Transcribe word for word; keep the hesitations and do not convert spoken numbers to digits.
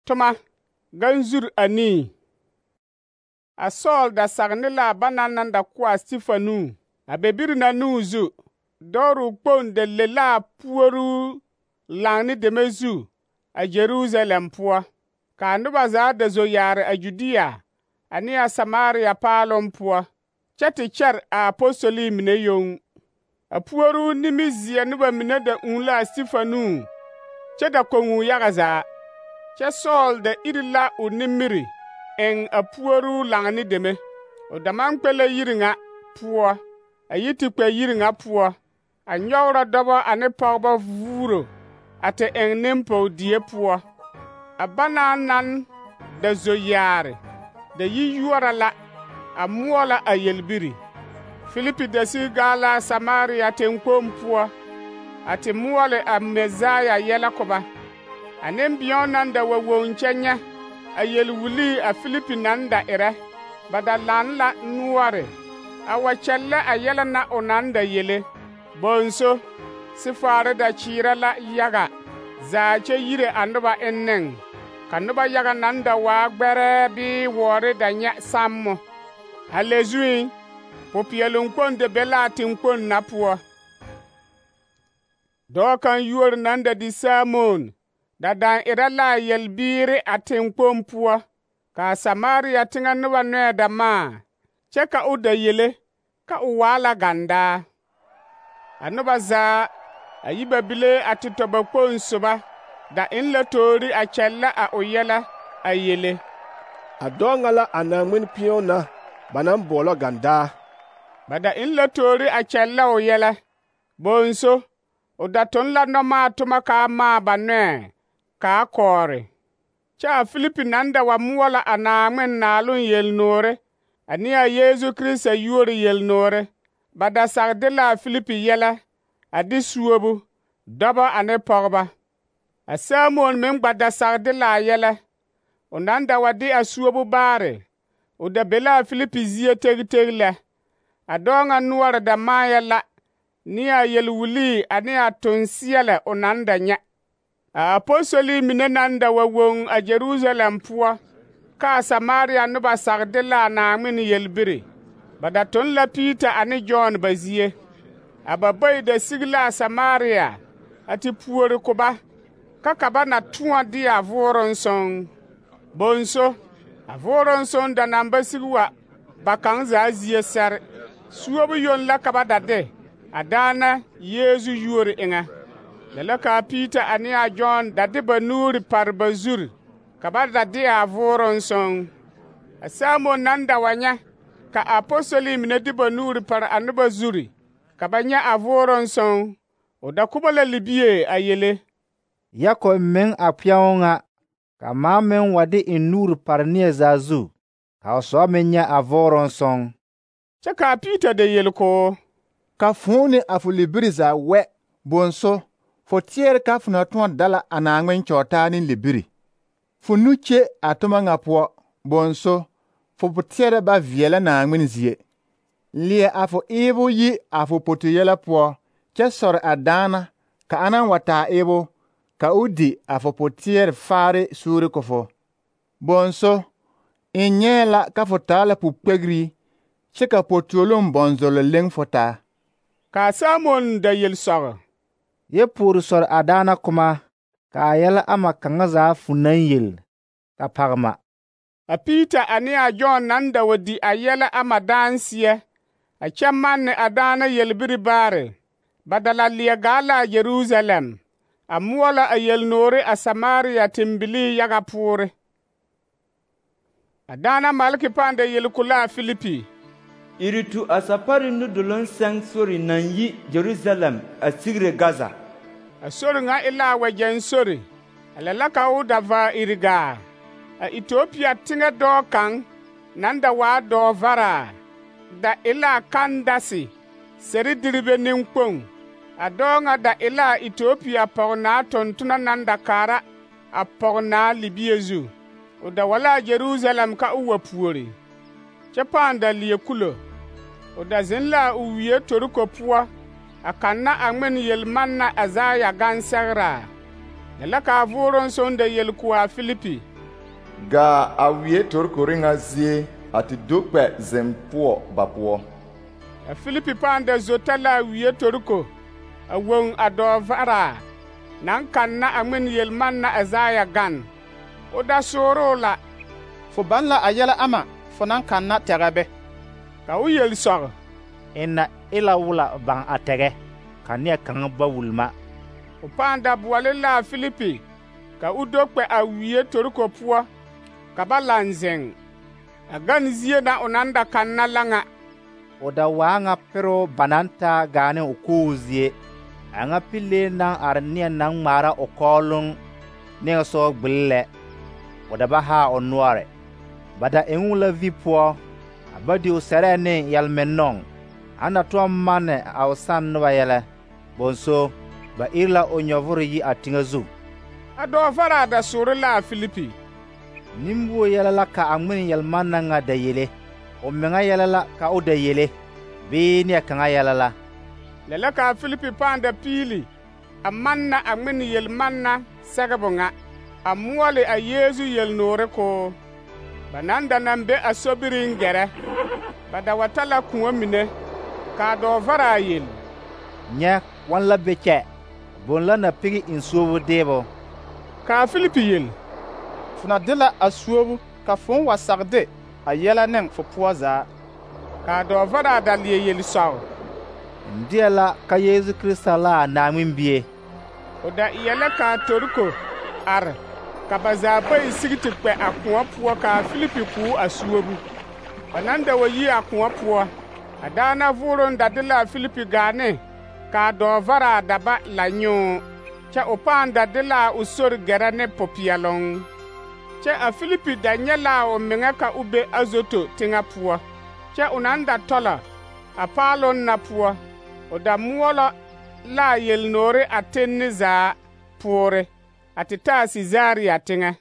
toma ganzur anii. A Saul da sagni la bana nan da ko a Stifanu a bebiri na nu zu dooru kpong da le la puoru langni deme zu a Jerusalem poa ka noba zaa da zo yaare a Judea ani a Samaria paalon poa kyɛ te kyɛre a apostoli mine yoŋ. A puoru nimizeɛ noba mine da ūū la a Stifanu kyɛ da koŋuu yaga zaa. Kyɛ Saul da iri la o nimiri eŋ a puoru langni deme. O da maŋ kpɛ la yiri ŋa poɔ, a yi te kpɛ yiri ŋa poɔ, a nyɔgrɔ dɔbɔ ane pɔgebɔ vuuro a te eŋ nempɔge poɔ. A bana nan da zo yaare, da yi yuora la, a moɔ la a yelbiri. Filipi da sig gaa la Samaria teŋkpoŋ poɔ, a te moɔle a Mesaya yɛlɛ ko ba. A nembēo nan da wa woŋ kyɛ nyɛ a yelwulii a Filipi nan da erɛ, ba da laŋ la noɔre, a wa kyɛllɛ a yɛlɛ na o nan da yele. Bonso, sifaare da kyeerɛ la yaga zaa kyɛ yire a noba enneŋ, ka noba yaga nan da waa gbɛrɛɛ bee wɔɔre da nyɛ sammo. A le zuiŋ, popeɛloŋ kpoŋ da be la a teŋkpoŋ na poɔ. Dɔɔ kaŋ yuori nan da di Samon da daŋ erɛ la a yelbiire a teŋkpoŋ poɔ, ka a Samaria teŋɛ noba nɔɛ da maa, kyɛ ka o da yele ka o waa la gandaa. A noba zaa a yi ba bile a te tɔ ba kpoŋ soba da eŋ la toori a kyɛllɛ a o yɛlɛ a yele. A dɔɔ ŋa la a Naaŋmen pĩõ na ba naŋ boɔlɔ gandaa. Ba da eŋ la toori a kyɛllɛ o yɛlɛ. Bonso, o da toŋ la nɔmaa toma kaa maa ba nɔɛ, kaa kɔɔre. Kyɛ a Filipi nan da wa moɔ la a Naaŋmen naaloŋ yelnoore ani a Yeezu Kirista yuori yelnoore. Ba da sagde la a Filipi yɛlɛ a de suobu, dɔbɔ ane pɔgeba. A Samon meŋ gba da sagde la a yɛlɛ. O nan da wa de a suobu baare, o da be la a Filipi zie tegteg lɛ. A dɔɔ ŋa noɔre da maayɛ la, ne a yelwulii ane a tonseɛlɛ o nan da nyɛ. A apostoli mine nan da wa woŋ a Jerusalem poɔ, ka a Samaria noba sagde la a Naaŋmen yelbiri. Ba da toŋ la Piita ane Jɔn ba zie. A ba bayi da sig la a Samaria a te puori ko ba, ka ka ba na tõɔ de a vooroŋ soŋ. Bonso, a vooroŋ soŋ da naŋ ba sig wa ba kaŋ zaa zie sɛre. Suobu yoŋ la ka ba da de a daana Yeezu yuori eŋɛ. Lɛ la ka a Piita ane a Jɔn da de ba nuuri pare ba zuri, ka ba da de a vooroŋ soŋ. A Samon nan da wa nyɛ ka a apostoli mine de ba nuuri pare a noba zuri, ka ba nyɛ a vooroŋ soŋ, o da kuba la libie a yele. Yakob meŋ a kpɛŋo ŋa, ka maa meŋ wa de eŋ nuuri pare neɛ zaa zu, ka o soba meŋ nyɛ a vooroŋ soŋ. Kyɛ ka a Piita da yele ko, ka fõõ ne a fo libiri zaa wɛ, bonso, fo teɛre ka fo na tõɔ dala a Naaŋmen kyɔɔtaa ne libiri. Fo nu kye a toma ŋa poɔ, bonso, fo teɛrɛ ba veɛlɛ Naaŋmen zie. Leɛ a fo eebo yi a fo poto yɛlɛ poɔ, kyɛ sɔre a daana ka a wa taa eebo, ka o di a fo poteɛre faare suuri ko fo. Bonso, n nyɛɛ la ka fo taa la pukpegri, kyɛ ka potolom bɔnzɔlɔ leŋ fo taa. Ka Samon da yel sɔgɔ. Yɛ puori sɔre a daana kuma, ka a yɛlɛ ama kaŋa zaa fu naŋ yel, ka pagema. A Piita ane a Jɔn nan da wa di a yɛlɛ ama daanseɛ, a kyɛ manne a daana yelbiri baare. Ba da la leɛ gaa la a Jerusalem, a moɔ la a yelnoore a Samaria tembilii yaga poore. A daana malki pãã da yel ko la a Filipi. Iri tu a sapari nudoloŋ sɛŋ sori naŋ yi Jerusalem a sigire Gaza. A sori ŋa e la a wɛgyɛŋ sori, a lɛ la ka o da vaa iri gaa. A Ethiopia teŋɛ dɔɔ kaŋ nan da waa dɔɔ varaa, da e la a Kandase, seri diribe neŋkpoŋ. A dɔɔ ŋa da e la a Ethiopia pɔgenaa tontona nan da kaara a pɔgenaa libie zu. O da wa la a Jerusalem ka o wa puori, kyɛ pãã da leɛ kulo. O da zeŋ la a o wie toriko poɔ, a kanna a ŋmen yelmanna Azaya gansɛgraa. Lɛ la ka a vooroŋ soŋ da yel ko a Filipi. gaa a wie torkore ŋa zie a te do kpɛ zeŋ poɔ ba poɔ. A Filipi pãã da zota la a wie torko a woŋ a dɔɔ varaa naŋ kanna a ŋmen yelmanna Azaya gan. O da sooroo la: Fo baŋ la a yɛlɛ ama fo naŋ kanna tɛgɛ be? Ka o yel sɔg: Ina e la wula baŋ a tɛgɛ, ka neɛ kaŋa ba wulma. O pãã da boɔle la a Filipi ka o do kpɛ a wie torko poɔ ka ba laŋ zeŋ. A gan zie na o naŋ da kanna la ŋa. O da waa ŋa pero ba naŋ taa gaa ne o koog zie, a ŋa pilee naŋ are neɛ naŋ ŋmaara o kɔɔloŋ niŋesɔgɔ gbili lɛ. O da ba haa o noɔre. Ba da eŋ o la vi poɔ, a ba di o sɛrɛɛ ne yɛlmennɔŋ, a na tɔŋ manne a o sanne noba yɛlɛ. Bonso, ba iri la o nyɔvore yi a teŋɛ zu. A dɔɔ varaa da soore la a Filipi: Nimbuo yɛlɛ la ka a ŋmen yelmanna ŋa da yele, o meŋa yɛlɛ la ka o da yele, bee neɛ kaŋa yɛlɛ la? Lɛ la ka a Filipi pãã da piili a manna a ŋmen yelmanna sɛgebo ŋa, a moɔle a Yeezu yelnoore koo. Ba naŋ da naŋ be a sobiriŋ gɛrɛ, ba da wa ta la kõɔ mine, k'a dɔɔ varaa yel: Nyɛ, wɔn la be kyɛ, boŋ la na pigi eŋ suobo deebo. K'a Filipi yel: Fo na de la a suobu ka fõõ wa sag de a yɛlɛ ne fo poɔ zaa. K'a dɔɔ varaa da leɛ yel sɔg: N deɛ la ka Yeezu Kirista la a Naaŋmen bie. O da eɛ la k'a toriko are, ka ba zaa bayi sigi te kpɛ a kõɔ poɔ k'a Filipi k'o a suobu. Ba naŋ da wa yi a kõɔ poɔ, a daana vooroŋ da de la a Filipi gaa ne k'a dɔɔ varaa da ba la nyoo, kyɛ o pãã da de la o sori gɛrɛ ne popeɛloŋ. Kyɛ a Filipi da nyɛ la o meŋa ka o be Azoto teŋɛ poɔ, kyɛ o naŋ da tɔlɔ a paaloŋ na poɔ, o da moɔlɔ la a yelnoore a tenne zaa poore, a te taa Sizaria teŋɛ.